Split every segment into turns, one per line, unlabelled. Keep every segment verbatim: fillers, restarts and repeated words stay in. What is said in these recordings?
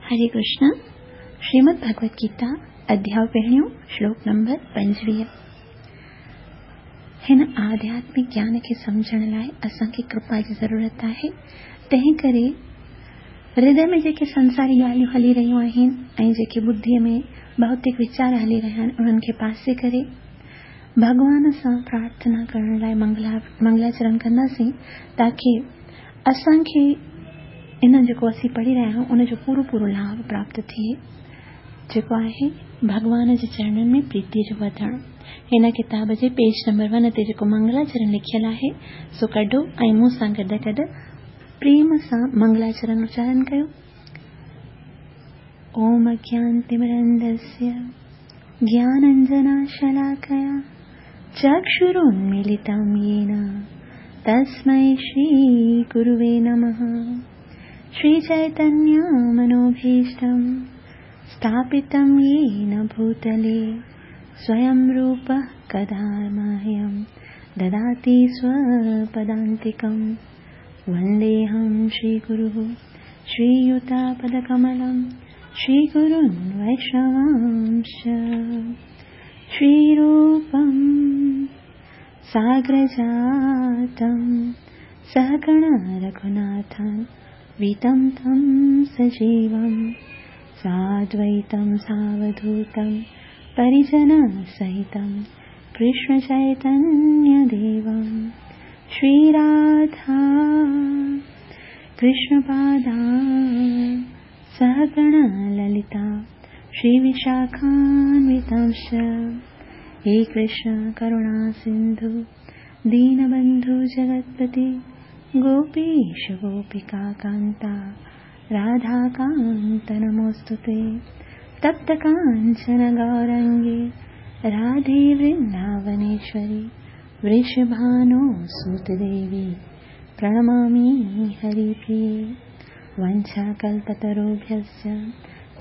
हरे कृष्ण। श्रीमद् भगवत गीता अध्याय पहिरियों श्लोक नंबर पंजवीह। हिन आध्यात्मिक ज्ञान खे सम्झण लाइ असांखे कृपा जी ज़रूरत आहे। तंहिं करे हृदय में जेके संसारी ॻाल्हियूं हली रहियूं आहिनि ऐं जेके बुद्धिअ में भौतिक वीचार हली रहिया आहिनि, उन्हनि खे पासे करे भॻवान सां प्रार्थना करण लाइ मंगला मंगलाचरण कंदासीं, ताकी असांखे इन जेको असीं पढ़ी रहिया आहियूं उन जो पूरो पूरो लाभ प्राप्त थिए, जेको आहे भॻवान जे चरणनि में प्रीतीअ जो वधणु। हिन किताब जे पेज नंबर वन ते जेको मंगलाचरण लिखियलु आहे सो कढो ऐं मूं सां गॾु गॾु प्रेम सां मंगलाचरण उच्चारण कयो। ओम अज्ञानतिमिरन्धस्य ज्ञानाञ्जनशलाकया चक्षुरुन्मीलितं येन तस्मै श्रीगुरुवे नमः। श्रीचैतन्यमनोभीष्टं स्थापितं येन भूतले स्वयं रूपः कदा मह्यं ददाति स्वपदान्तिकं। वन्देऽहं श्रीगुरुः श्रीयुतापदकमलं श्रीगुरुन् वैष्णवांश्च। श्रीरूपं साग्रजातं सहगण रघुनाथं वीतं तं सजीवं साद्वैतं सावधूतं परिजनसहितं कृष्णचैतन्यदेवं। श्रीराधा कृष्णपादा सहगण ललिता श्रीविशाखान्वितांश्च। हे कृष्ण करुणा सिन्धु दीनबन्धु जगत्पते गोपीश गोपिका कान्ता राधाकान्त नमोऽस्तु ते। तप्त काञ्चन गौरङ्गे राधे वृन्दावनेश्वरि वृषभानो सुतदेवी प्रणमामि हरिप्रिये। वञ्छाकल्पतरुभ्यश्च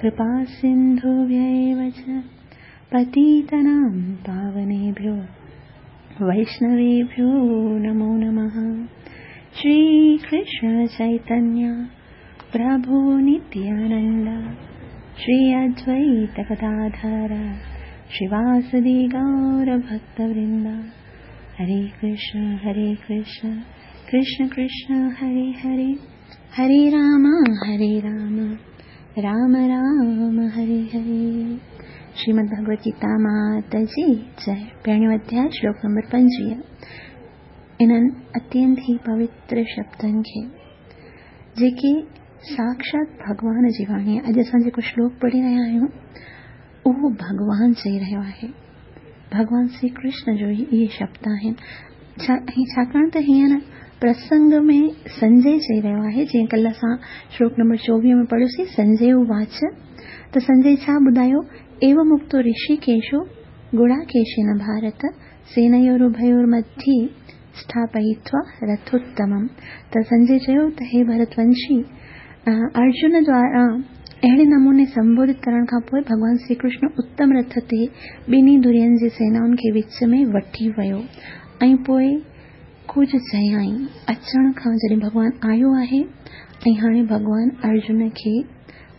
कृपा सिन्धुभ्य एव च पतितानां पावनेभ्यो वैष्णवेभ्यो नमो नमः। श्रीकृष्ण चैतन्य प्रभु नित्यानंद श्री अद्वैत गदाधर श्रीवासदि गौरभक्तवृंद। हरे कृष्ण हरे कृष्ण कृष्ण कृष्ण हरे हरे, हरे राम हरे राम राम राम हरे हरे। श्रीमद् भगवत गीता माता जी जय। पहिरियों अध्याय श्लोक नंबर पंजवीह। इन्हनि अत्यंत ई पवित्र शब्दनि खे जेके साक्षात भॻवान जी वाणी आहे। अॼु असां जेको श्लोक पढ़ी रहिया आहियूं उहो भॻवान चई रहियो आहे। भॻवान श्री कृष्ण जो ई इहे शब्द आहिनि। छा ऐं छाकाणि त हींअर प्रसंग में संजय चई रहियो आहे, जीअं कल्ह असां श्लोक नंबर चोवीह में पढ़ियोसीं संजय उवाच। त संजय छा ॿुधायो? एवं उक्तो ऋषिकेशो गुडाकेशेन भारत सेनयोरुभयोर्मध्ये स्थापयित्वा रथोत्तमम्। त संजय चयो त हे भरतवंशी, अर्जुन द्वारा अहिड़े नमूने संबोधित करण खां पोइ भॻवान श्री कृष्ण उत्तम रथ ते ॿिन्ही धुरियनि जी सेनाउनि खे विच में वठी वियो ऐं पोइ कुझु चयाईं। अचण खां जॾहिं भॻवान आयो आहे ऐं हाणे भॻवान अर्जुन खे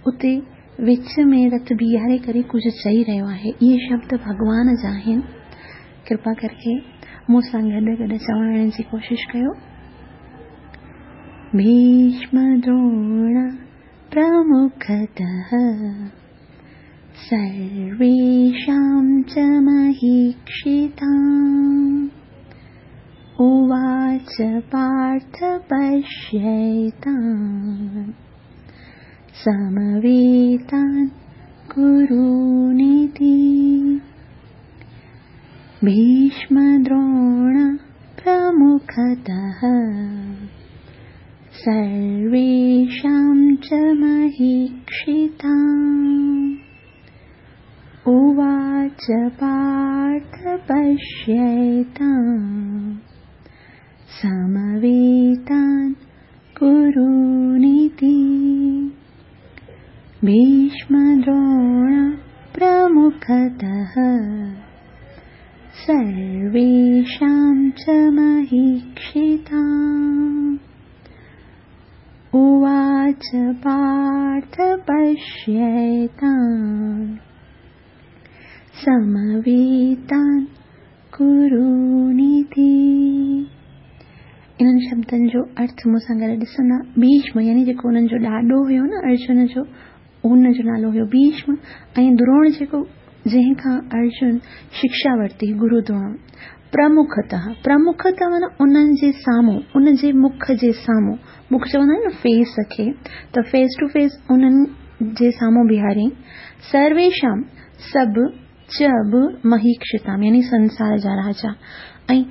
उते विच में रथ बीहारे करे कुझु चई रहियो आहे। इहे शब्द भॻवान जा आहिनि। कृपा करके मूं सां गॾु गॾु चवण जी कोशिशि कयो। भीष्म द्रोण प्रमुखतः सर्वेषां च महीक्षिताम् उवाच पार्थ पश्यैतान् समवेतान् कुरूनिति। भीष्मद्रोण प्रमुखतः सर्वेषां च महीक्षिताम् उवाच पार्थ पश्यैतान् समवेतान् कुरूनिति। भीष्मद्रोण प्रमुखतः सर्वेषां च महीक्षिताम् उवाच पार्थ पश्यैतान् पश्यैतान् समवेतान् कुरूनिति। इन्हनि शब्दनि जो अर्थ मूंसां गॾु ॾिसंदा। भीष्म यानी जेको उन्हनि जो ॾाॾो हुयो न अर्जुन जो, उन जो नालो हुयो भीष्म, ऐं द्रोण जेको जंहिंखां अर्जुन शिक्षा वरिती, गुरु द्रोण। प्रमुखतः, प्रमुखतः माना उन्हनि जे साम्हूं, उन जे मुख जे साम्हूं, मुख चवंदा आहिनि न फेस खे, त फेस टू फेस उन्हनि जे साम्हूं बीहारी। सर्वेषां सभु च बि महीक्षितां यानी संसार जा राजा। ऐं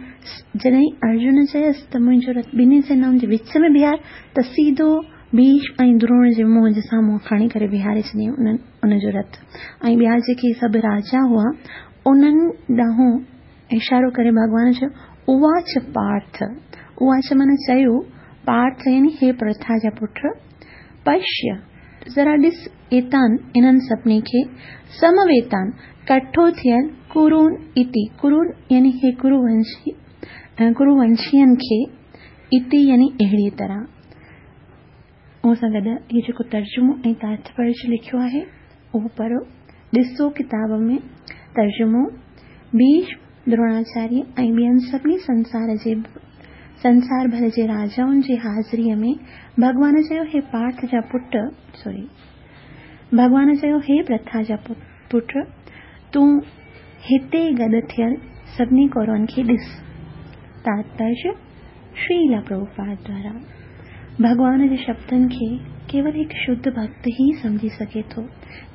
जॾहिं अर्जुन चयसि त मुंहिंजो रथ ॿिन्ही सेनाउनि जे विच में बीहार, त सीधो भीष्म ऐं द्रोण जे मुंहं जे साम्हूं खणी करे बीहारे छॾियईं उन्हनि उनजो रथ। ऐं ॿिया जेके सभु राजा हुआ उन्हनि ॾांहुं इशारो करे भॻवान चयो उवाच पार्थ, उवाच माना चयो, पार्थ यानी हे प्रथा जा पुट, पश्य ज़रा ॾिस, एतान इन्हनि सभिनी खे, समवेतान कठो थियल, कुरून इति, कुरून यानी हे कुरुवंशी, कुरुवंशियनि खे, इति यानी अहिड़ी तरह। उन सां गॾु हीउ जेको तर्जुमो ऐं तात्पर्य लिखियो आहे उहो पढ़ो, ॾिसो किताब में तर्जुमो। भीष्म, द्रोणाचार्य ऐं ॿियनि सभिनी संसार जे संसार भर जे राजाउनि जी हाज़िरीअ में भॻवान चयो हे पार्थ जा पुट, सॉरी, भॻवान चयो हे प्रथा जा पुट, तूं हिते गॾु थियल सभिनी कौरवनि खे ॾिस। तात्पर्य श्रील प्रभुपाद द्वारा भॻवान जे शब्दनि खे केवल हिकु शुद्ध भक्त ई सम्झी सघे थो।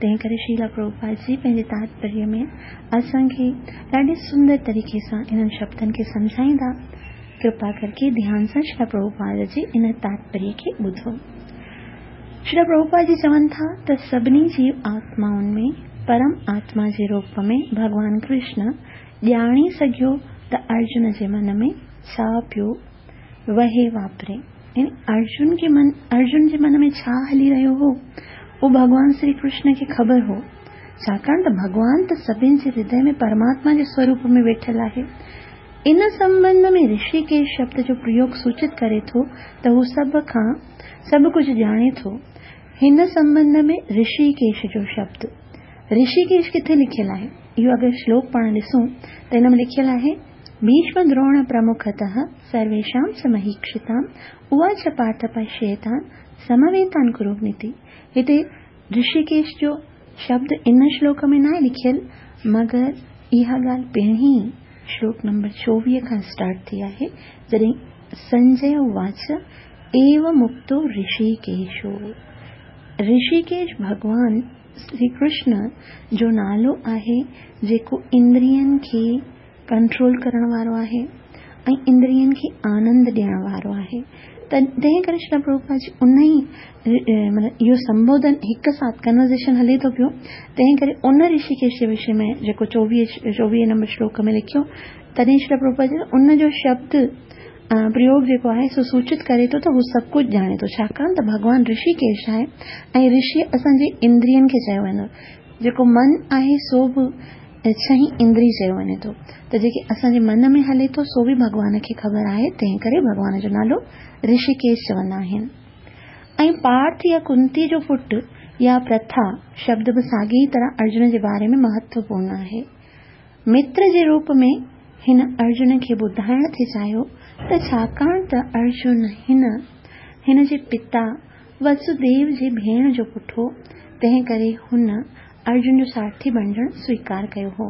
तंहिं करे श्रील प्रभुपाद जी पंहिंजे तात्पर्य में असांखे ॾाढे सुंदर तरीक़े सां इन्हनि शब्दनि खे सम्झाईंदा। कृपा करके ध्यान सां श्रील प्रभुपाद जे इन तात्पर्य खे ॿुधो। श्रील प्रभुपाद जी चवनि था त सभिनी जीव आत्माउनि में परम आत्मा जे रूप में भॻवान कृष्ण ॼाणी सघियो त अर्जुन जे मन में छा पियो वहे वापरे। यानी अर्जुन के मन, अर्जुन जे मन में छा हली रहियो हो उहो भॻवान श्री कृष्ण खे ख़बर हो, छाकाणि त भॻवान त सभिनी जे हृदय में परमात्मा जे स्वरूप में वेठल आहे। इन संबंध में ऋषिकेश शब्द जो प्रयोग सूचित करे थो त हू सभ खां सभु कुझु ॼाणे थो। हिन संबंध में ऋषिकेश जो शब्द, ऋषिकेश किथे लिखियल आहे? इहो अगरि श्लोक पाण ॾिसूं त हिन में लिखियल आहे भीष्म द्रोण प्रमुखतः सर्वेषां च महीक्षिताम् उवाच पार्थ पश्येतान् समवेतान् कुरुनिति। हिते ऋषिकेश जो शब्द इन श्लोक में न आहे लिखियल, मगर इहा ॻाल्हि पहिरीं श्लोक नंबर चोवीह खां स्टार्ट थी आहे, जॾहिं संजय उवाच एव मुक्तो ऋषिकेशो। ऋषिकेश भॻवान श्री कृष्ण जो नालो आहे जेको इंद्रियनि खे कंट्रोल करण वारो आहे ऐं इंद्रियनि खे आनंद ॾियण वारो आहे। त तंहिं करे श्री प्रभुपाद जी उन ई माना इहो संबोधन हिक साथ कन्वर्सेशन हले थो पियो, तंहिं करे उन ऋषिकेश जे विषय में जेको चोवीह चोवीह नंबर श्लोक में लिखियो, तॾहिं श्री प्रभुपाद जी उन जो शब्द प्रयोग जेको आहे सो सूचित करे थो त हू सभु कुझु ॼाणे थो, छाकाणि त भॻवान ऋषिकेश आहे ऐं ऋषि असांजे इंद्रियनि खे चयो वञे थो, जेको मन आहे सो बि छही इंद्री चयो वञे थो, त जेके असांजे मन में हले थो सो बि भॻवान खे ख़बर आहे, तंहिं करे भॻवान जो नालो ऋषिकेश चवंदा आहिनि। ऐं पार्थ या कुंती जो पुट या प्रथा शब्द बि साॻी तरह अर्जुन जे बारे में महत्वपूर्ण आहे। मित्र जे रूप में हिन अर्जुन खे ॿुधाइण थी चाहियो त छाकाणि त अर्जुन हिन हिन जे पिता वसुदेव जे भेण जो पुट हो, तंहिं करे हुन अर्जुन जो सारथी बणिजण स्वीकार कयो हो।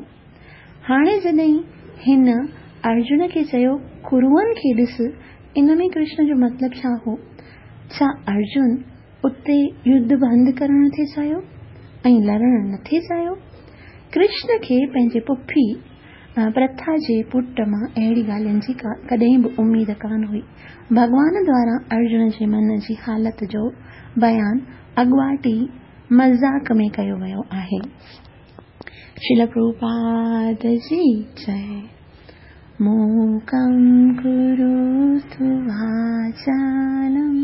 हाणे जॾहिं हिन अर्जुन खे चयो कुरुअनि खे ॾिस, इन में कृष्ण जो मतिलबु छा हो? छा अर्जुन उते युद्ध बंदि करण थी चाहियो ऐं लड़ण नथी चाहियो? कृष्ण खे पंहिंजे पुफी प्रथा जे पुट मां अहिड़ी ॻाल्हियुनि जी कॾहिं बि उमेद कान हुई। भॻवान द्वारा अर्जुन जे मन जी हालत जो बयान अॻवाट ई मज़ाक में कयो वियो आहे। श्रील प्रभुपाद जी जय। मूकं करोतु वाचालं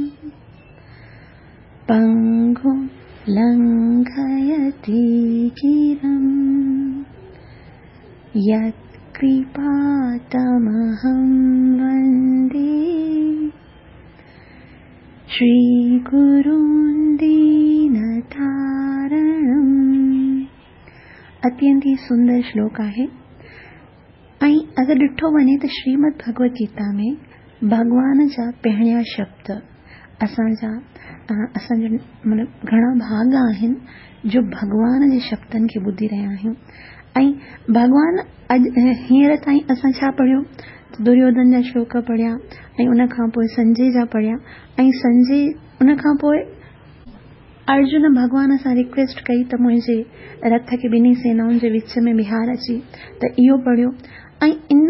पंगुं लंघयति गिरिं यत्कृपातमहं वन्दे श्रीगुरुं दीनतारणम्। اتينت ئي سندر شلوڪ آهي ۽ اگر ڏٺو وڃي ته شريمد ڀڳوت گيتا ۾ ڀڳوان جا پهريان شبد اسان جا اسان جا مطلب گهڻا ڀاڳ آهن جو ڀڳوان جي شبدن کي ٻڌي رهيا آهيون. ۽ ڀڳوان اڄ هينئر تائين اسان ڇا پڙهيو؟ دريوڌن جا شلوڪ پڙهيا ۽ ان کان پوءِ سنجي جا پڙهيا ۽ سنجي ان کان پوءِ ارجن ڀڳوان سان رڪويسٽ ڪئي ته منهنجي رٿ کي ٻنهي سينائن جي وچ ۾ بيهار اچي ته اهو پڙهيو. ۽ ان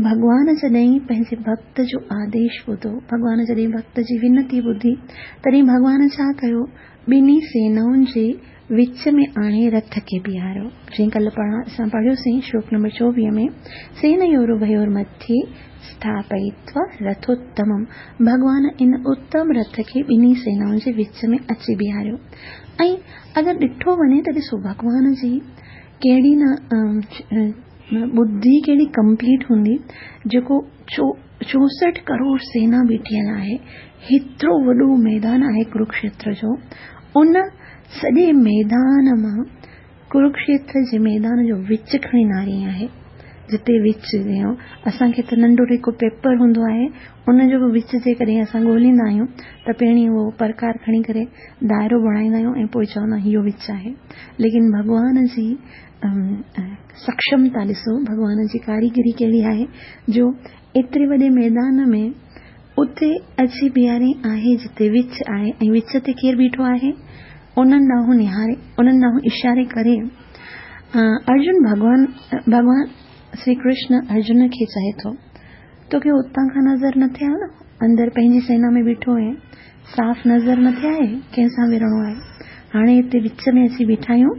ڀڳوان جڏهن پنهنجي ڀڪت جو آديش ٻڌو، ڀڳوان جڏهن ڀڪت جي ونتي ٻڌي، تڏهن ڀڳوان ڇا ڪيو؟ ٻنهي سينائن جي وچ ۾ آڻي رٿ کي بيهاريو. جيئن ڪلهه پاڻ اسان پڙهيوسين شلوڪ نمبر چوويهه ۾ سينيورڀيور مٿي اسٿاپئتوا رٿوتمم، ڀڳوان ان اتم رٿ کي ٻنهي سينائن جي وچ ۾ اچي بيهاريو. ۽ اگر ڏٺو وڃي ته ڏسو ڀڳوان جي ڪهڙي نه ٻڌي ڪهڙي ڪمپليٽ هوندي، جيڪو چوسٺ ڪروڙ سينا بيٺل آهي، هيترو وڏو ميدان آهي ڪروڪشيتر جو، ان سڄي ميدان مان ڪروڪشيتر جي ميدان جو وچ کڻي ناري آهي، جتي وچ اسان کي ته ننڍو هڪ پيپر هوندو آهي، ان جو به وچ جيڪڏهن اسان ڳولهيندا آهيون ته پهرين اهو پرڪار کڻي ڪري دائرو بڻائيندا آهيون ۽ پوءِ چوندا آهيون اهو وچ آهي. ليڪن ڀڳوان جي سڪشمتا ڏسو، ڀڳوان جي ڪاريگري ڪهڙي آهي جو ايتري وڏي ميدان ۾ اتي اچي بيهاري آهي جتي وچ آهي ۽ وچ تي ڪير بيٺو آهي؟ انهن ڏانهن نهاري، انهن ڏانهن اشاري ڪري ارجن ڀڳوان ڀڳوان شري ڪرشن ارجن کي چئي ٿو، توکي اتان کان نظر نٿي آيو نه، اندر پنهنجي سينا ۾ بيٺو آهين، صاف نظر نٿي آئي ڪنهن سان وڙهڻو آهي؟ هاڻي هتي وچ ۾ اچي بيٺا آهيون،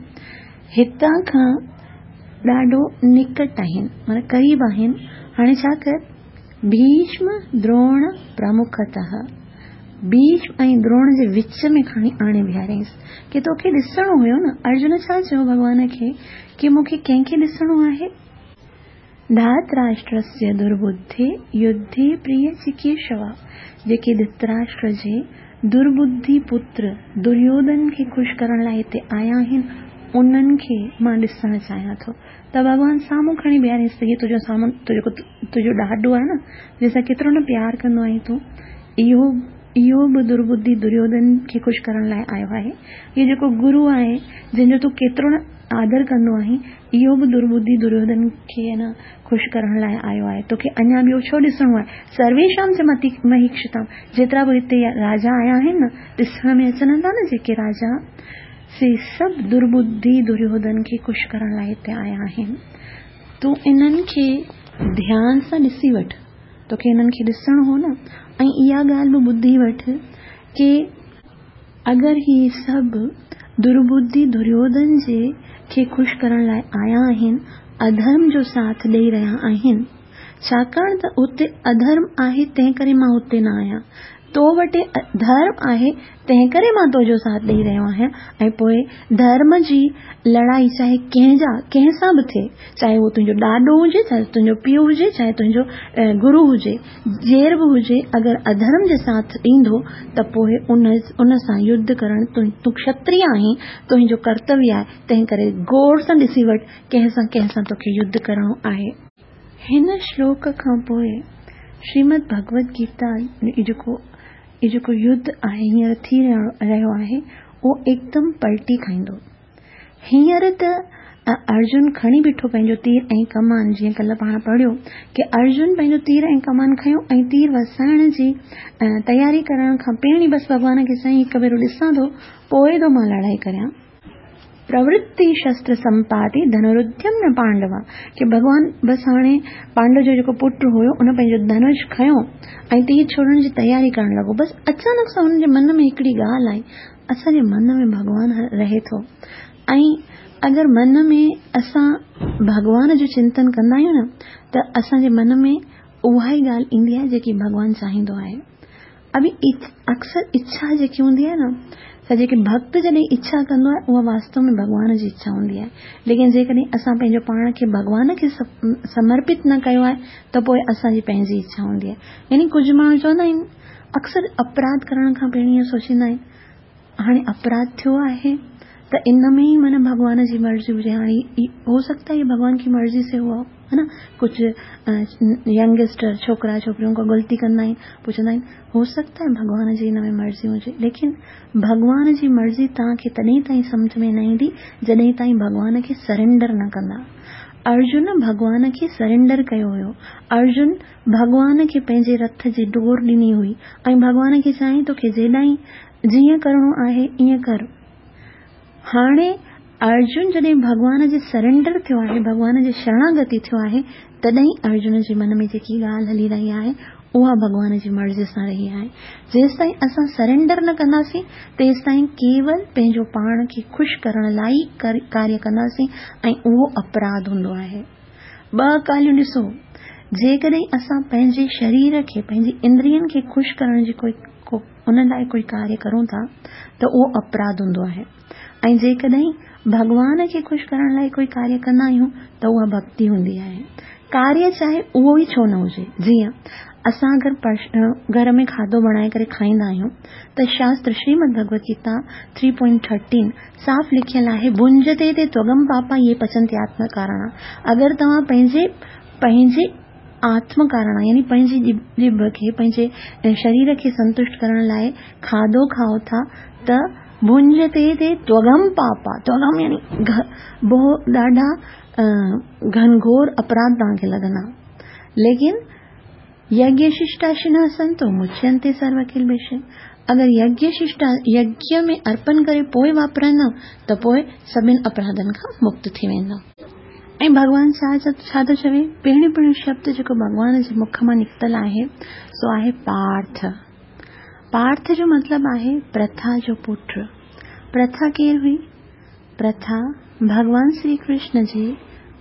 هتان کان ڏاڍو نڪٽ آهن، معنيٰ قريب آهن. هاڻي ڇا ڪر، ڀيشم دروڻ پرمکتهه، ڀيشم ۽ دروڻ جي وچ ۾ کڻي آڻي بيهاريائينس ڪه توکي ڏسڻو هيو نه. ارجن ڇا چيو ڀڳوان کي ڪه مون کي ڪنهن کي ڏسڻو آهي؟ ڌاتراشٽرسيه دربڌي يڌي پريه چڪيشوا، جيڪي ڌتراشٽر جي دربڌي پتر دريوڌن کي خوش ڪرڻ لاءِ هتي آيا آهن، انهن کي مان ڏسڻ چاهيان ٿو. ته ڀڳوان سامهون کڻي بيهاريس ته هي تنهنجو سامهون تنهنجو تنهنجو ڏاڏو آهي نه، جنهن سان ڪيترو نه پيار ڪندو آهين تون، اهو اهو به دربڌي دريوڌن کي خوش ڪرڻ لاءِ آيو آهي. اهو جيڪو گرو آهي جنهن جو تون ڪيترو نه آدر ڪندو آهين، اهو به دربڌي دريوڌن کي نه خوش ڪرڻ لاءِ آيو آهي. توکي اڃا ٻيو ڇو ڏسڻو آهي؟ سرويشام چ متي مهيڪشتام، جيترا به هتي راجا آيا آهن نه، ڏسڻ ۾ اچن ٿا نه جيڪي راجا، سي سڀ دربڌي دريوڌن کي خوش ڪرڻ لاءِ هتي آيا آهن. تون انهن کي ڌيان سان ڏسي وٺ، توکي انهن کي ڏسڻو هو نه. ۽ اها ڳالهه به ٻڌي وٺ ڪه اگر هي سڀ دربڌي دريوڌن جي کي خوش ڪرڻ لاءِ آيا آهن، اڌرم جو ساٿ ڏيئي رهيا آهن، ڇاڪاڻ ته اتي اڌرم آهي تنهن ڪري مان اتي نه آهيان، تو وٽ ڌرم آهي تنهن ڪري مان تنهنجو ساٿ ڏيئي رهيو آهيان. ۽ پوءِ ڌرم جي لڙائي چاهي ڪنهن جا ڪنهن سان به ٿئي، چاهي اهو تنهنجو ڏاڏو هجي، چاهي تنهنجو پيءُ هجي، چاهي تنهنجو گرو هجي، جير به هجي، اگر اڌرم جي ساٿ ڏيندو ته پوءِ ان ان سان يڌ ڪرڻ تون ڪشتريه آهين، تنهنجو ڪرتويه آهي، تنهن ڪري غور سان ڏسي وٺ ڪنهن سان ڪنهن سان توکي يڌ ڪرڻو آهي. هن شلوڪ کان پوءِ شريمد ڀڳوت گيتا جيڪو اهو جيڪو يڌ آهي هينئر ٿي رهيو آهي اهو هڪدم پلٽي کائيندو. هينئر ته ارجن کڻي بيٺو پنهنجو تير ۽ ڪمان، جيئن ڪلهه پاڻ پڙهيو ڪه ارجن پنهنجو تير ۽ ڪمان کنيو ۽ تير وسائڻ جي تياري ڪرڻ کان پهرين بس ڀڳوان کي چيائين هڪ ڀيرو ڏسان ٿو پوءِ ٿو مان لڙائي ڪريان. پرورتي شستر سمپاتي ڌنرڌيم نه پانڊوا، ڪه ڀڳوان بس هاڻي پانڊو جو جيڪو پٽ هيو ان پنهنجو ڌنش کنيو ۽ تير ڇوڙڻ جي تياري ڪرڻ لڳو. بس اچانڪ سان هن جي من ۾ هڪڙي ڳالهه آئي، اسان جي من ۾ ڀڳوان رهي ٿو ۽ اگر من ۾ اسان ڀڳوان جو چنتن ڪندا آهيون نه ته اسان جي من ۾ اها ئي ڳالهه ايندي آهي جيڪي ڀڳوان چاهيندو آهي. اڀي اڪثر اڇا جيڪي هوندي آهي نه، ته جيڪي ڀڪت جڏهن اڇا ڪندو آهي اها واستو ۾ ڀڳوان جي اڇا هوندي آهي. ليڪن جيڪڏهن اسان پنهنجو پاڻ کي ڀڳوان کي سمرپت نه ڪيو آهي ته پوءِ اسان جي پنهنجي اڇا هوندي آهي. يعني ڪجهه ماڻهو چوندا آهن اڪثر اپراڌ ڪرڻ کان پهرين اهو سوچيندا آهن هاڻي اپراڌ ٿيو آهي ته त इन में ई माना भॻवान जी मर्ज़ी हुजे। हाणे हो सकता है ये भगवान की मर्ज़ी से हुआ हो, है ना। कुझु यंगस्टर छोकिरा छोकिरियूं को ग़लती कंदा आहिनि, पोइ चवंदा आहिनि हो सकता है भॻवान जी हिन में मर्ज़ी हुजे, लेकिन भॻवान जी मर्ज़ी तव्हांखे तॾहिं ताईं सम्झ में न ईंदी जॾहिं ताईं भॻवान खे सरेंडर न कंदा। अर्जुन भॻवान खे सरेंडर कयो हुयो। अर्जुन भॻवान खे पंहिंजे रथ जी डोर ॾिनी हुई ऐं भॻवान खे चयईं तोखे जेॾां जीअं करिणो आहे ईअं कर। हाणे अर्जुन जॾहिं भॻवान जे सरेंडर थियो आहे, भॻवान जे शरणागति थियो आहे, तॾहिं अर्जुन जे मन में जेकी ॻाल्हि हली रही आहे उहा भॻवान जी मर्ज़ी सां रही आहे। जेसि ताईं असां सरेंडर न कंदासीं तेसि ताईं केवल पंहिंजो पाण खे ख़ुशि करण लाइ ई कार्य कंदासीं ऐं उहो अपराध हूंदो आहे। ॿ ॻाल्हियूं ॾिसो, जेकॾहिं असां पंहिंजे शरीर खे, पंहिंजी इंद्रियनि खे ख़ुशि करण जी कोई उन लाइ कोई कार्य करूं था त उहो अपराध हूंदो आहे, ऐं जेकॾहिं भॻवान खे ख़ुशि करण लाइ कोई कार्य कंदा आहियूं त उहा भक्ति हूंदी आहे। कार्य चाहे उहो ई छो न हुजे, जीअं असां अगरि घर में खाधो बणाए करे खाईंदा आहियूं त शास्त्र Shrimad Bhagavad Gita three point thirteen साफ़ लिखियल आहे, भुंजते ते त्वगम पापा ये पचंति आत्म कारण। अगरि तव्हां पंहिंजे पंहिंजे आत्म कारण यानी पंहिंजी जिभ खे, पंहिंजे शरीर खे संतुष्ट करण लाइ खाधो खाओ था त भुंजते ते त्वगम पापा, त्वगम यानी बहु ॾाढा घनघोर अपराध तव्हांखे लॻंदा। लेकिन यज्ञशिष्टाशिनः सन्तो मुच्यन्ते सर्वकिल्बिषैः, अगरि यज्ञशिष्टा यज्ञ में अर्पण करे पोइ वापराईंदव त पोइ सभिनी अपराधनि खां मुक्त थी वेंदव। ऐं भॻवान छा छा थो चवे, पहिरियों पहिरियों शब्द जेको भॻवान जे मुख मां निकितल आहे सो आहे पार्थ। पार्थ जो मतिलबु आहे प्रथा जो पुट। प्रथा केरु हुई? प्रथा भॻवान श्री कृष्ण जे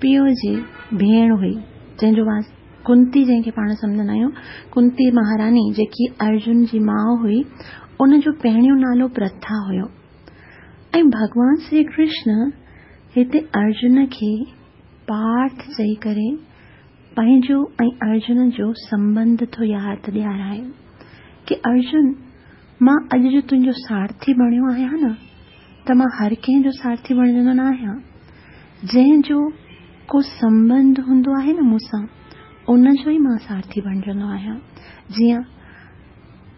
पीउ जी भेण हुई, जंहिंजो वास कुंती जंहिंखे पाण सम्झंदा आहियूं, कुंती महारानी जेकी अर्जुन जी माउ हुई, उन जो पहिरियों नालो प्रथा हुयो। ऐं भॻवान श्री कृष्ण हिते अर्जुन खे पार्थ चई करे पंहिंजो ऐं अर्जुन जो संबंध थो यादि ॾियाराए की अर्जुन, मां अॼु जो तुंहिंजो सारथी बणियो आहियां न, त मां हर कंहिंजो सारथी बणिजंदो न आहियां। जंहिंजो को संबंध हूंदो आहे न मूंसां, उनजो ई मां सारथी बणिजंदो आहियां। जीअं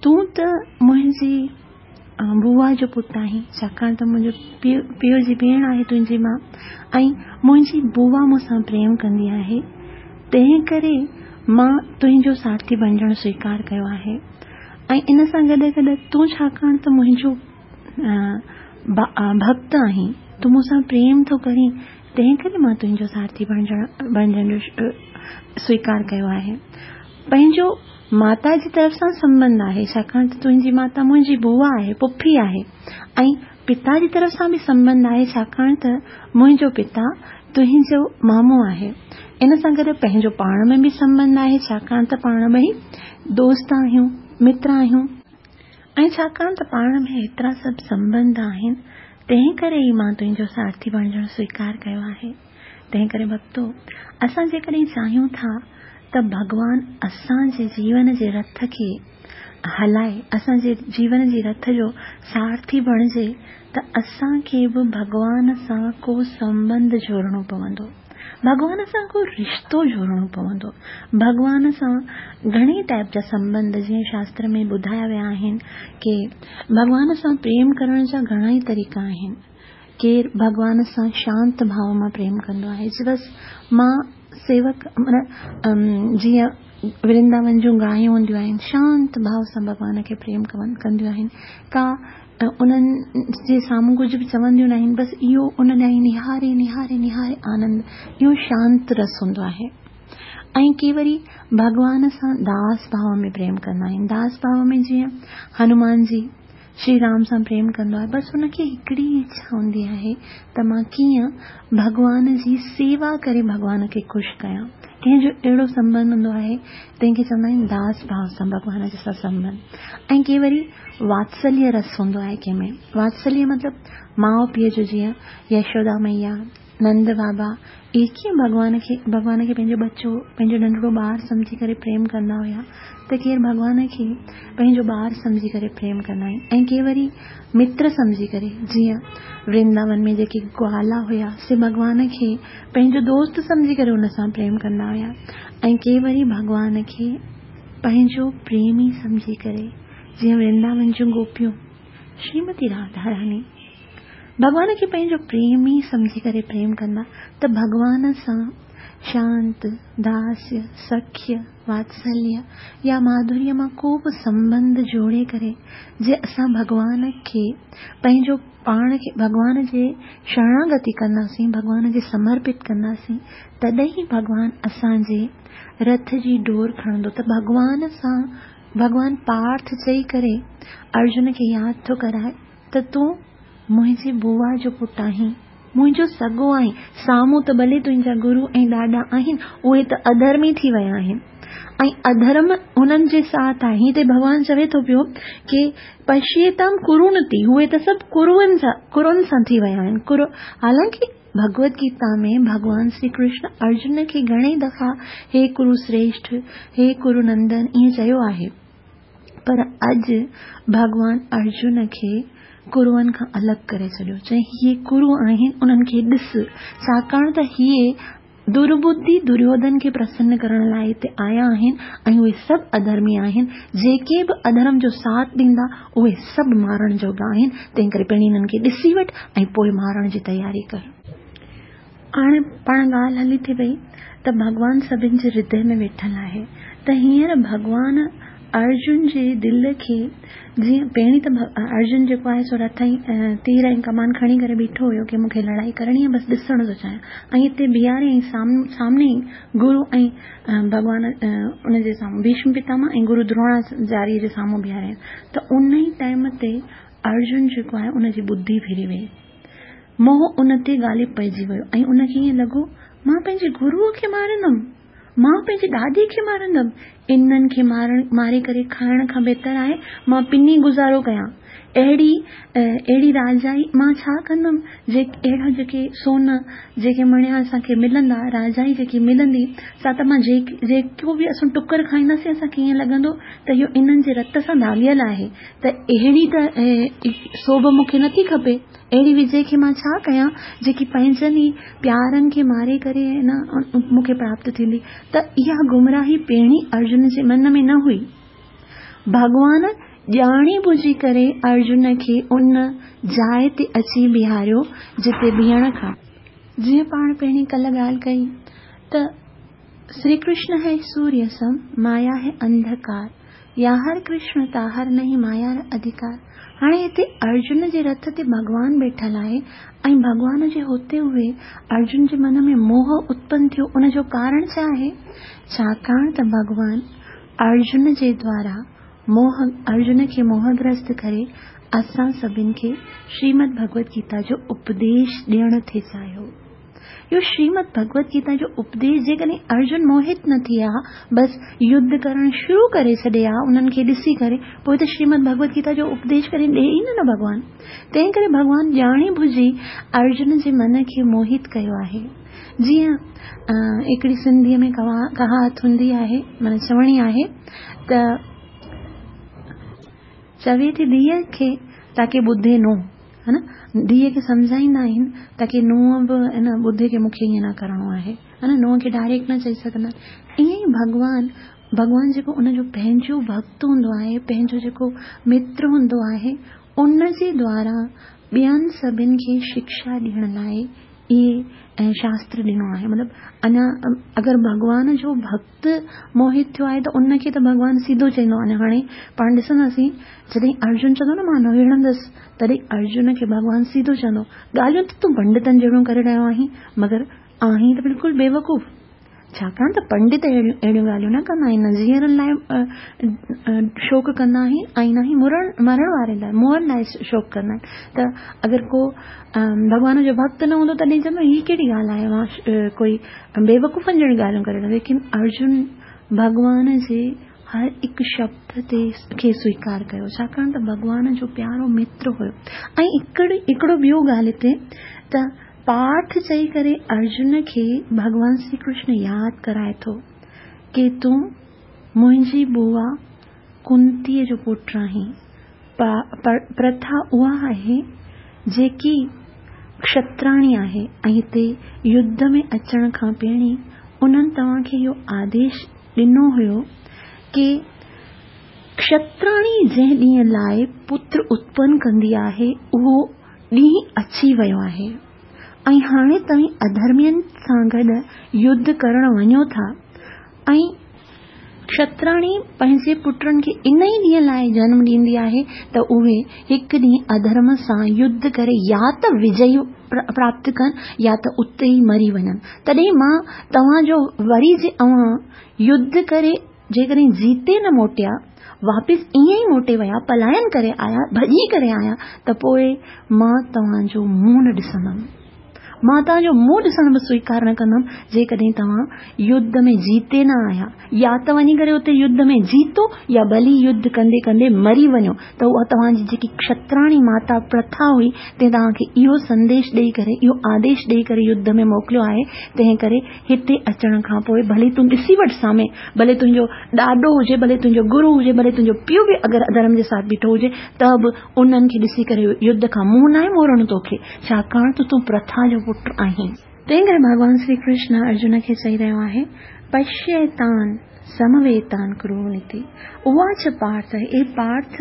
तूं त मुंहिंजी बुआ जो पुटु आहीं, छाकाणि त मुंहिंजो पीउ पीउ जी भेण आहे तुंहिंजी मां, ऐं मुंहिंजी बुआ मूंसां प्रेम कंदी आहे, तंहिं करे मां तुंहिंजो सारथी बणिजणु स्वीकार कयो आहे। ऐं इन सां गॾु गॾु तूं छाकाणि त मुंहिंजो भक्त आहीं, तूं मूंसां प्रेम थो करीं, तंहिं करे मां तुंहिंजो सारथी बणिजण बणिजण जो स्वीकार कयो आहे। पंहिंजो माता जी तरफ़ सां संबंध आहे, छाकाणि त तुंहिंजी माता मुंहिंजी बुआ आहे, पुफी आहे, ऐं पिता जी तरफ़ सां बि संबंध आहे, छाकाणि त मुंहिंजो पिता तुंहिंजो मामो आहे। इन सां गॾु पंहिंजो पाण में बि संबंध आहे, छाकाणि त पाण ॿई दोस्त आहियूं, मित्र आहियूं, ऐं छाकाणि त पाण में एतिरा सभु संबंध आहिनि, तंहिं करे ई मां तुंहिंजो सारथी बणिजणु स्वीकार कयो आहे। तंहिं करे भक्तो, असां जेकॾहिं चाहियूं था त भॻवान असांजे जीवन जे रथ खे हलाए, असांजे जीवन जे रथ जो सारथी बणिजे, त असांखे बि भॻवान सां को संबंध जोड़िणो पवंदो, भॻवान सां को रिश्तो जोड़िणो पवंदो। भॻवान सां घणे टाइप जा संबंध जीअं शास्त्र में ॿुधाया विया आहिनि की भॻवान सां प्रेम करण जा घणा ई तरीक़ा आहिनि। केरु भॻवान सां शांत भाव मां प्रेम कंदो आहे, बसि मां सेवक माना जीअं वृंदावन जूं गायूं हूंदियूं आहिनि, शांत भाव सां भॻवान खे प्रेम कंदियूं आहिनि, का उन्हनि जे साम्हूं कुझु बि चवंदियूं न आहिनि, बसि इहो उन ॾांहुं निहारे निहारे निहारे आनंद, इहो शांत रस हूंदो आहे। ऐं के वरी भॻवान सां दास भाव में प्रेम कंदा आहिनि। दास भाव में जीअं हनुमान जी श्री राम सां प्रेम कंदो आहे, बसि हुनखे हिकिड़ी इच्छा हूंदी आहे त मां कीअं भॻवान जी सेवा करे भॻवान खे ख़ुशि कयां। कंहिंजो अहिड़ो संबंध हूंदो आहे, तंहिंखे चवंदा आहिनि दास भाव सां भॻवान जे सां संबंध। ऐं के वरी वात्सल्य रस हूंदो आहे कंहिंमें। वात्सल्य मतिलबु माउ पीउ जो, जीअं यशोदा मैया نند بابا اهي ڪيئن ڀڳوان کي ڀڳوان کي پنهنجو ٻچو پنهنجو ننڍڙو ٻار سمجهي ڪري پريم ڪندا هيا ته ڪير ڀڳوان کي پنهنجو ٻار سمجهي ڪري پريم ڪندا آهن ۽ ڪي وري متر سمجهي ڪري. جيئن ورنداون ۾ جيڪي گوالا هيا سي ڀڳوان کي پنهنجو دوست سمجهي ڪري ان سان پريم ڪندا هيا ۽ ڪي وري ڀڳوان کي پنهنجو پريمي سمجهي ڪري، جيئن ورنداون جون گوپيون شريمتي راڌا راني ڀڳوان کي پنهنجو پريمي سمجهي ڪري پريم ڪندا ته ڀڳوان سان شانت، داسيه، سکيه، واتسليه يا ماڌوريه مان ڪو به سنٻنڌ جوڙي ڪري جي اسان ڀڳوان کي پنهنجو پاڻ کي ڀڳوان جي شرڻاگتي ڪنداسين، ڀڳوان جي سمرپت ڪنداسين، تڏهن ئي ڀڳوان اسان جي رٿ جي ڊور کڻندو. ته ڀڳوان سان ڀڳوان پارٿ چئي ڪري ارجن کي ياد ٿو ڪرائي ته تون منهنجي بوا جو پٽ آهين، منهنجو سڳو آهين، سامهون ته ڀلي تنهنجا گرو ۽ ڏاڏا آهن، اهي ته اڌرمي ٿي ويا آهن ۽ اڌرم هنن جي ساٿ آهي. هتي ڀڳوان چوي ٿو پيو ڪي پشيتام ڪرونتي، اهي ته سڀ ڪرون سان ڪرن سان ٿي ويا آهن. ڪر حالانڪه ڀڳوت گيتا ۾ ڀڳوان شري ڪرشن ارجن کي گهڻي دفعا هي ڪرو شريشٺ، هي ڪرو نندن ائين چيو آهي، پر اڄ ڀڳوان ارجن کي ڪروئن کان الڳ ڪري ڇڏيو. چئي هي ڪرو آهن انهن کي ڏس، ڇاڪاڻ ته هي درٻڌي دريوڌن کي پرسن ڪرڻ لاءِ هتي آيا آهن ۽ اهي سڀ اڌرمي آهن. جيڪي به اڌرم جو ساٿ ڏيندا اهي سڀ مارڻ جوڳا آهن، تنهن ڪري پهرين انهن کي ڏسي وٺ ۽ پوءِ مارڻ جي تياري ڪر. هاڻي پاڻ ڳالهه هلي ٿي پئي ته ڀڳوان سڀني جي هردي ۾ ويٺل آهي، ته هينئر ڀڳوان ارجن جي دل کي جيئن پهرين ته ارجن جيڪو آهي سو رٿ ۽ تير ۽ ڪمان کڻي ڪري بيٺو هيو ڪي مون کي لڙائي ڪرڻي آهي، بس ڏسڻ ٿو چاهيان، ۽ هتي بيهاري ۽ سامني ئي گرو ۽ ڀڳوان ان جي سامهون ڀيشم پتامهه ۽ گرو دروناچاريه جي سامهون بيهاري، ته ان ئي ٽائيم تي ارجن جيڪو آهي ان جي ٻڌي ڦري وئي، موهه ان تي غالب پئجي ويو ۽ ان کي ائين لڳو مان پنهنجي گروءَ کي مارندم، مان پنهنجي ڏاڏي کي مارندم، انهن کي مارڻ ماري ڪري کائڻ کان بهتر آهي مان پني گذارو ڪيان. اهڙي اهڙي راجائي مان ڇا ڪندم، جي اهڙا جيڪي سون جيڪي مڻيا اسان کي ملندا، راجائي جيڪي ملندي سا ته مان جيڪو به اسان ٽڪر کائينداسين اسان کي ائين لڳندو ته اهو انهن جي رت سان داغيل آهي، ته اهڙي ته سوڀ مون کي نٿي کپي، اهڙي وجي کي مان ڇا ڪيان جيڪي پنهنجن ئي پيارن کي ماري ڪري نه مون کي پراپت ٿيندي. ته اها گمراهي پهرين ارجن جي من ۾ نه هئي. ڀڳوان ڄاڻي ٻجهي ڪري ارجن کي ان جاءِ تي اچي بيهاريو جتي بيهڻ کان، جيئن پاڻ پهرين ڪلهه ڳالهه ڪئي ته شري ڪرشن هي سوريه سم، مايا هي انڌڪار، يا هر ڪرشن تاهر نهين مايا اڌڪار. هاڻي هتي ارجن جي رٿ تي ڀڳوان ويٺل آهي ۽ ڀڳوان جي هوتي هئي ارجن جي من ۾ موهه اتپن ٿيو. ان جو ڪارڻ ڇا آهي؟ ڇاڪاڻ ته ڀڳوان ارجن جي دوارا موهه ارجن کي موهگرست ڪري اسان سڀني کي شريمد ڀڳوت گيتا جو اپديش ڏيڻ ٿي چاهيو. اهو شريمد ڀڳوت گيتا جو اپديش جيڪڏهن ارجن موهت نه ٿئي ها، بس يڌ ڪرڻ شروع ڪري ڇڏي ها انهن کي ڏسي ڪري، پوءِ ته شريمد ڀڳوت گيتا جو اپديش ڪري ڏئي ئي نه نه ڀڳوان. تنهن ڪري ڀڳوان ڄاڻي ٻجهي ارجن جي من کي موهت ڪيو آهي. جيئن هڪڙي سنڌيءَ ۾ ڪهاوت هوندي آهي، معنيٰ چوڻي آهي ته چوي ٿي ڌيءَ کي تاڪه ٻڌي نو، ها نه، ڌيءَ کي سمجهائيندا آهن تاڪه ننهن به نه ٻڌي ڪه مون کي ائين نه ڪرڻو آهي، ها نه، ننهن کي ڊائريڪٽ نه چئي سگهندا. ائين ئي ڀڳوان ڀڳوان جيڪو ان جو پنهنجو ڀڪت هوندو آهي، پنهنجو جيڪو متر هوندو آهي، ان جي دوارا ٻين سڀني کي شڪشا ڏيڻ لاءِ اهي شاستر ڏنو آهي. مطلب اڃا اگر ڀڳوان جو ڀڪت موهت ٿيو آهي ته ان کي ته ڀڳوان سڌو چئيندو. اڃا هاڻي پاڻ ڏسنداسين جڏهن ارجن چوندو نه مان نه وڙهندس، تڏهن ارجن کي ڀڳوان سڌو چوندو ڳالهيون ته تون پنڊتن جهڙيون ڪري رهيو آهين، مگر آهين ته بلڪل بيوقوف. ڇاڪاڻ ته پنڊت اهڙيون اهڙيون ڳالهيون نه ڪندا آهن، نه جيئرن لاءِ شوڪ ڪندا آهن ۽ نه ئي مرڻ مرڻ واري لاءِ مئن لاءِ شوڪ ڪندا آهن. ته اگر ڪو ڀڳوان جو ڀڪت نه هوندو تڏهن چوندو هيءَ ڪهڙي ڳالهه آهي، مان ڪوئي بيوقوفن جهڙيون ڳالهيون ڪري رهيو. ليڪن ارجن ڀڳوان جي هر هڪ شبد تي کي سويڪار ڪيو، ڇاڪاڻ ته ڀڳوان جو پيارو متر هيو. ۽ هڪڙي هڪڙو ٻيو ڳالهه هتي ته پارٿ چئي ڪري ارجن کي ڀڳوان شري ڪرشن ياد ڪرائي ٿو ڪي تون منهنجي بوا ڪنتيء جو پٽ آهين. پرٿا اها آهي جيڪي ڪشتراڻي آهي ۽ هتي يڌ ۾ اچڻ کان پهرين انهن توهان کي اهو آديش ڏنو هيو ڪي ڪشتراڻي جنهن ڏينهن لاء پتر اتپن ڪندي آهي اهو ڏينهن اچي ويو آهي ۽ هاڻي توهين اڌرمين سان گڏ يڌ ڪرڻ وڃو ٿا ۽ ڪشتراڻي پنهنجي پٽن کي ان ئي ڏينهن لاء جنم ڏيندي آهي ته اهي هڪ ڏينهن اڌرم سان يڌ ڪري يا ته وجئي پراپت ڪن يا ته اتي ئي مري وڃن. تڏهن مان توهان جو وري جي اوهان يڌ ڪري جيڪڏهن جيتي نه موٽيا، واپس ائين ئي موٽي ويا، پلاين ڪري آيا، ڀڄي ڪري آيا ته پوء مان توهان جو منهن نه ڏسندم. مان توهان جو منهن ڏسڻ به سويڪار نه ڪندم، جيڪڏهن توهان يڌ ۾ جيتي نه آيا، يا ته وڃي ڪري اتي يڌ ۾ جيتو يا ڀلي يڌ ڪندي ڪندي مري وڃو. ته اها توهان جي جيڪي ڪشتراڻي ماتا پرٿا هئي، تنهن توهان کي اهو سنديش ڏيئي ڪري، اهو آديش ڏيئي ڪري يڌ ۾ موڪليو آهي، تنهن ڪري هتي اچڻ کان پوء ڀلي تون ڏسي وٺ سامهين، ڀلي تنهنجو ڏاڏو هجي، ڀلي تنهنجو گرو هجي، ڀلي تنهنجو پيء به اگر اڌرم جي ساٿ بيٺو هجي ته به انهن کي ڏسي ڪري يڌ کان منهن ناهي موڙڻو توکي، ڇاڪاڻ ته تون پرٿا جو پٽ آهين. تنهن ڪري ڀڳوان شري ڪرشن ارجن کي چئي رهيو آهي، پشيتان سمويتان ڪرونتي اواچ پارٿ، اي پارٿ،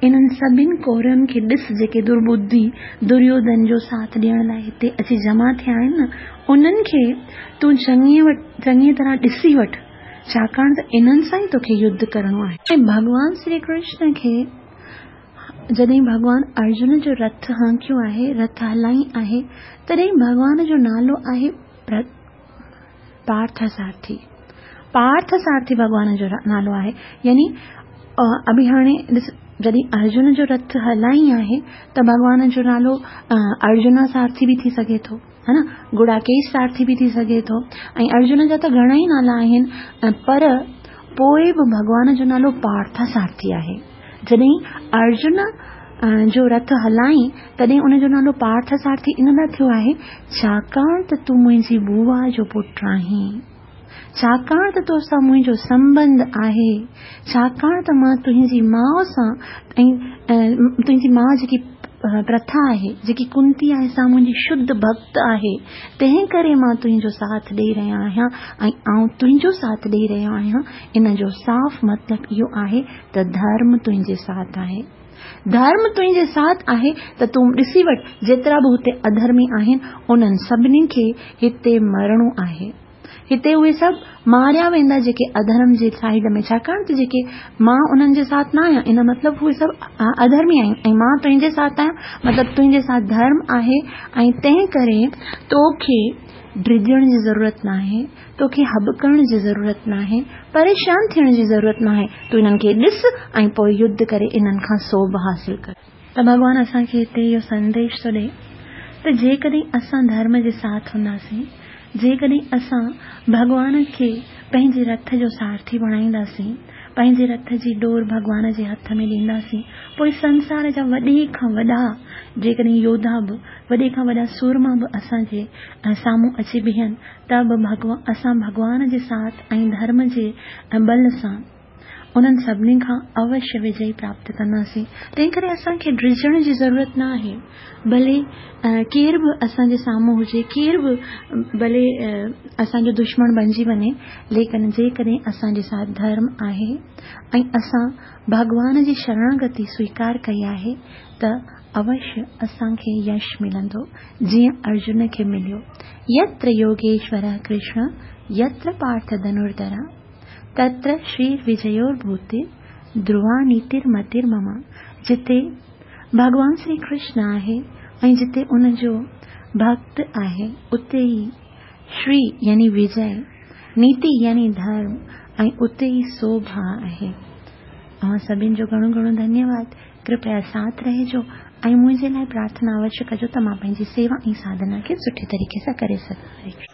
انهن سڀن ڪورون کي ڏس جيڪي درٻڌي دريوڌن جو ساٿ ڏيڻ لاء هتي اچي جمع ٿيا آهن نه، انهن کي تون چڱيء طرح ڏسي وٺ، ڇاڪاڻ ته انهن سان ئي توکي يڌ ڪرڻو آهي. ۽ ڀڳوان شري ڪرشن کي جڏهن ڀڳوان ارجن جو رٿ هانڪيو آهي، رٿ هلائي آهي، تڏهن ڀڳوان جو نالو آهي پارٿ سارٿي. پارٿ سارٿي ڀڳوان جو نالو آهي. يعني اڀي هاڻي ڏس جڏهن ارجن جو رٿ هلائي آهي ته ڀڳوان جو نالو ارجنا سارٿي به ٿي سگهي ٿو، ها نه، گڙاڪيش سارٿي به ٿي سگهي ٿو ۽ ارجن جا ته گهڻا ئي نالا آهن، پر پوء به ڀڳوان جو نالو پارٿ سارٿي آهي. جڏهن ارجن جو رٿ هلائين تڏهن ان جو نالو پارٿ سارٿي ان لاء ٿيو آهي ڇاڪاڻ ته تون منهنجي بوا جو پٽ آهين، ڇاڪاڻ ته تو سان منهنجو سنٻنڌ آهي، ڇاڪاڻ ته مان تنهنجي ماء سان ۽ تنهنجي ماء جيڪي پرٿا آهي، جيڪي ڪنتي آهي، سا منهنجي شڌ ڀڳت آهي، تنهن ڪري مان تنهنجو ساٿ ڏيئي رهيو آهيان ۽ آئون تنهنجو ساٿ ڏيئي رهيو آهيان. ان جو صاف مطلب اهو آهي ته ڌرم تنهنجي ساٿ آهي. ڌرم تنهنجي ساٿ آهي ته تون ڏسي وٺ جيترا به هتي اڌرمي آهن انهن سڀني کي هتي مرڻو آهي. هتي اهي سڀ ماريا ويندا جيڪي اڌرم جي سائيڊ ۾، ڇاڪاڻ ته جيڪي مان انهن جي ساٿ نه آهيان ان مطلب اهي سڀ اڌرمي آهن ۽ مان تنهنجي ساٿ آهيان، مطلب تنهنجي ساٿ ڌرم آهي ۽ تنهن ڪري توکي ڊڄڻ جي ضرورت ناهي، توکي هٻڪڻ جي ضرورت ناهي، پريشان ٿيڻ جي ضرورت ناهي، تون انهن کي ڏس ۽ پوء يڌ ڪري انهن کان سوڀ حاصل ڪر. ته ڀڳوان اسان کي هتي اهو سنديش ٿو ڏئي ته جيڪڏهن اسان ڌرم جي ساٿ هونداسين، جيڪڏهن اسان ڀڳوان کي پنهنجي رٿ جو سارٿي بڻائينداسين، پنهنجي رٿ جي ڏور ڀڳوان جي هٿ ۾ ڏينداسين، پوء سنسار جا وڏي کان وڏا جيڪڏهن يوڌا به، وڏي کان وڏا سورما به اسان جي سامهون اچي بيهن ته به اسان ڀڳوان جي ساٿ ۽ ڌرم جي ٻل سان انهن سڀني کان اوشيه وجئي پراپت ڪنداسين. تنهن ڪري اسان کي ڊڄڻ جي ضرورت نه آهي. ڀلي ڪير به اسان جي سامهون هجي، ڪير به ڀلي اسان جو دشمن بڻجي وڃي، ليڪن جيڪڏهن اسان جي ساٿ ڌرم آهي ۽ اسان ڀڳوان جي شرڻاگتي سويڪار ڪئي آهي ته اوشيه اسان کي يش ملندو، جيئن ارجن کي مليو. يتر يوگيشور ڪرشن يتر پارٿ ڌنرڌر تتر شري وجيور ڀوتي ڌروا نيتر متر مم. جتي ڀڳوان شري ڪرشن آهي ۽ جتي ان جو ڀڳت آهي اتي ئي شري يعني وجي، نيتي يعني ڌرم ۽ اتي ئي سوڀا آهي. اوهان سڀن جو گهڻو گهڻو ڌنيواد. ڪرپيا ساٿ رهجو ۽ منهنجي لاء پرارٿنا اوشيه ڪجو ته مان پنهنجي سيوا ۽ ساڌنا کي سٺي طريقي سان ڪري سگهان.